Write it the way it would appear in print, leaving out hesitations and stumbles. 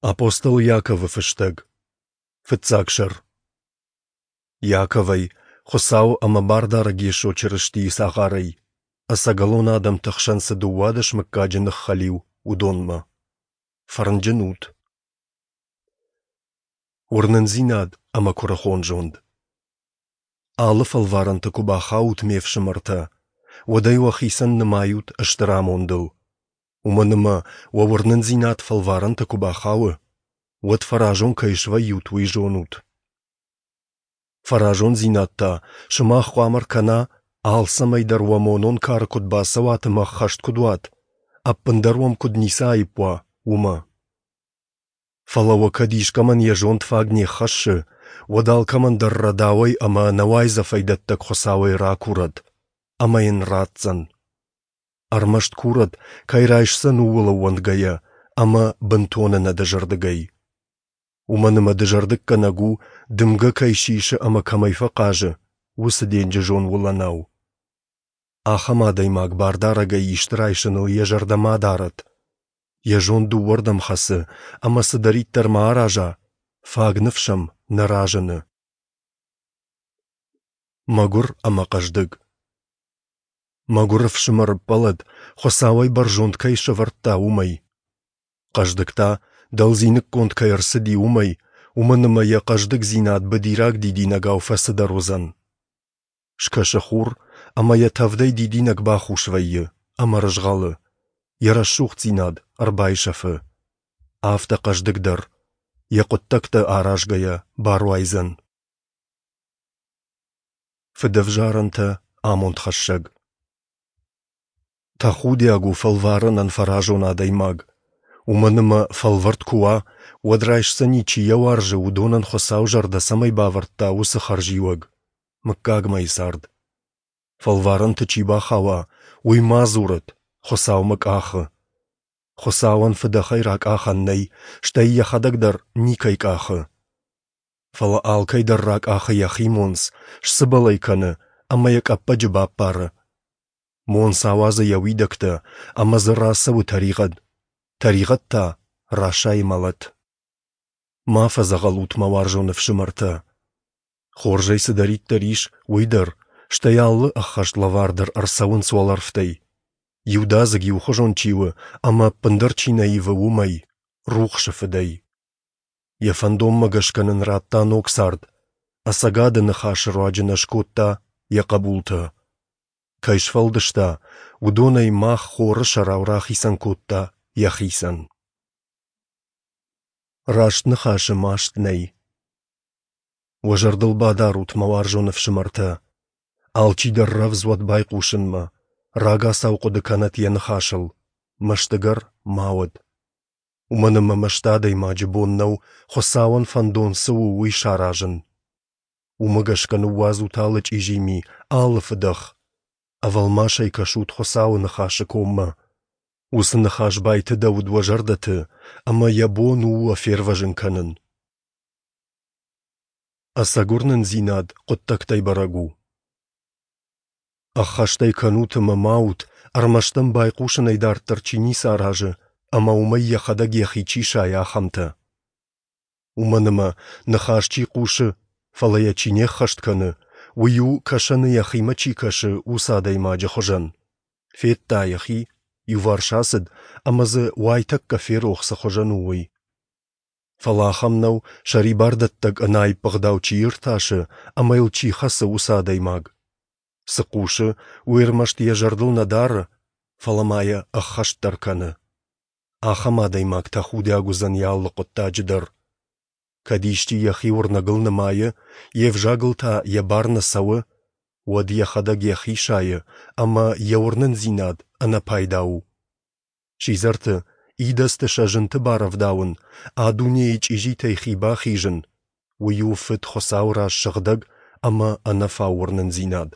Апостол Иаковы фыстӕг. Фыццаг сӕр. Иаковӕй, Хуыцауы ӕмӕ Бардарӕг Йесо Чырыстийы цагъарӕй, ӕцӕгӕлон адӕмты хсӕн цы 12 мыггаджы ныххӕлиу, уыдонмӕ. Фӕрнджын ут! Уырнындзинад ӕмӕ куырыхон зонд. Алы фӕлварӕнты куы бахаут, ме фсымӕртӕ, уӕд ӕй уӕхицӕн нымайут стыр амондыл. Уымӕн ӕмӕ уӕ уырнындзинад фӕлварӕнты куы бахауы, уӕд фӕразон кӕй свӕййут, уый зонут. Фӕразондзинад та сымах хъуамӕ ркӕна, алцӕмӕй дӕр уӕ монон кары куыд бацӕуат ӕмӕ ӕххӕст куыд уат, ӕппындӕр уӕм куыд ницы аипп уа, уымӕ. Фӕлӕ уӕ кӕд искӕмӕн йӕ зонд фаг не ххӕссы, уӕд алкӕмӕн дӕр рӕдауӕй ӕмӕ ӕнӕуайдзӕфӕй дӕттӕг Хуыцауӕй ракурӕд, ӕмӕ йын ратдзӕн. Ӕрмӕст курӕд, кӕй райсдзӕн, ууыл ӕууӕндгӕйӕ ӕмӕ бынтон ӕнӕдызӕрдыгӕй. Уымӕн ӕмӕ дызӕрдыггӕнӕг у, дымгӕ кӕй сисы ӕмӕ кӕмӕй фӕхъазы, уыцы денджызон уылӕнау. Ахӕм адӕймаг бардарӕгӕй исты райсыныл йӕ зӕрдӕ ма дарӕд. Йӕ зонд дыууӕрдӕм хӕцы, ӕмӕ цыдӕриддӕр ма араза, фаг ныфс ӕм нӕ разыны. Мӕгуыр ӕмӕ хъӕздыг. Мӕгуыр ӕфсымӕр ӕппӕлӕд, Хуыцауӕй бӕрзонд кӕй сӕвӕрдта, уымӕй. Хъӕздыг та, дӕлдзиныггонд кӕй ӕрцыди, уымӕй, уымӕн ӕмӕ йӕ хъӕздыгдзинад быдираг дидинӕгау фӕцыдӕр уыдзӕн. Скӕсы хур, ӕмӕ йӕ тӕвдӕй дидинӕг бахус вӕййы ӕмӕ рызгъӕлы, йӕ рӕсугъддзинад ӕрбайсӕфы. Афтӕ хъӕздыг дӕр, йӕ хъуыддӕгтӕ аразгӕйӕ, баруайдзӕн. Фыдӕвзарӕнтӕ амондхӕссӕг. Тӕхудиаг у фӕлварӕнӕн фӕразон адӕймаг, уымӕн ӕмӕ фӕлвӕрд куы уа, уӕд райсдзӕни, чи йӕ уарзы, уыдонӕн Хуыцау зӕрдӕ цӕмӕй бавӕрдта, уыцы хӕрзиуӕг – мыггагмӕйы цард. Фӕлварӕнты чи бахауа, уый ма дзурӕд, Хуыцау мӕ къахы. Хуыцауӕн фыдӕхӕй ракъахӕн нӕй, стӕй йӕхӕдӕг дӕр никӕй къахы. Фӕлӕ алкӕй дӕр ракъахы йӕхи монц, сцыбӕл ӕй кӕны ӕмӕ йӕ къӕппӕджы баппары. Монц ауадзы йӕ уидӕгтӕ, ӕмӕ дзы рацӕуы тӕригъӕд, тӕригъӕд та расайы мӕлӕт. Ма фӕдзӕгъӕл ут, мӕ уарзон ӕфсымӕртӕ. Хорзӕй цыдӕриддӕр ис, уый дӕр, стӕй алы ӕххӕст лӕвар дӕр ӕрцӕуынц уӕлӕрвтӕй. Иудадзыг иухуызон чи у ӕмӕ ӕппындӕр чи нӕ ивы, уымӕй, рухсы Фыдӕй. Йӕ фӕндонмӕ гӕсгӕ нын радта ног цард, ӕцӕгады ныхасы руаджы нӕ скодта йӕ хъӕбултӕ. Кӕй сфӕлдыста, уыдонӕй мах хоры сӕрау рахицӕн кодта йӕхицӕн. Раст ныхасы маст нӕй. Уӕ зӕрдыл бадарут, мӕ уарзон ӕфсымӕртӕ, алчидӕр рӕвдз уӕд байхъусынмӕ, рагацау хъуыды кӕнӕт йӕ ныхасыл, мӕстыгӕр ма уӕд. Уымӕн ӕмӕ мӕсты адӕймаджы бон нӕу, Хуыцауӕн фӕндон цы у, уый саразын. Уымӕ гӕсгӕ ныууадзут алы чъизи ми, алы фыдӕх. Ӕвӕлмасӕй кӕсут Хуыцауы ныхасы коммӕ. Уыцы ныхас байтыдӕуыд уӕ зӕрдӕты, ӕмӕ йӕ бон у уӕ фервӕзын кӕнын. Ӕцӕг уырнындзинад хъуыддӕгтӕй бӕрӕг у. Ӕххӕст ӕй кӕнут ӕмӕ ма ут, ӕрмӕст ӕм байхъусынӕй дарддӕр чи ницы аразы ӕмӕ уымӕй йӕхӕдӕг йӕхи чи сайы, ахӕмтӕ. Уымӕн ӕмӕ, ныхас чи хъусы, фӕлӕ йӕ чи не ххӕст кӕны, уый у, кӕсӕны йӕхимӕ чи кӕсы, уыцы адӕймаджы хуызӕн. Федта йӕхи, иуварс ацыд, ӕмӕ дзы уайтӕккӕ ферох, цы хуызӕн у, уый. Фӕлӕ ахӕм нӕу, сӕрибардӕттӕг ӕнаипп ӕгъдау чи иртасы ӕмӕ йыл чи хӕцы, уыцы адӕймаг. Цы хъусы, уый ӕрмӕст йӕ зӕрдыл нӕ дары, фӕлӕ ма йӕ ӕххӕст дӕр кӕны. Ахӕм адӕймаг тӕхудиаг уыдзӕн йӕ алы хъуыддаджы дӕр. Кӕд исчи йӕхи уырнӕгыл нымайы, йе взагыл та йӕ бар нӕ цӕуы, уӕд йӕхӕдӕг йӕхи сайы ӕмӕ йӕ уырнындзинад ӕнӕпайда у. Сидзӕрты, идӕдзты сӕ зынты барӕвдауын, а дунейы чъизитӕй хи бахизын, уый у Фыд Хуыцауы раз сыгъдӕг ӕмӕ ӕнӕфау уырнындзинад.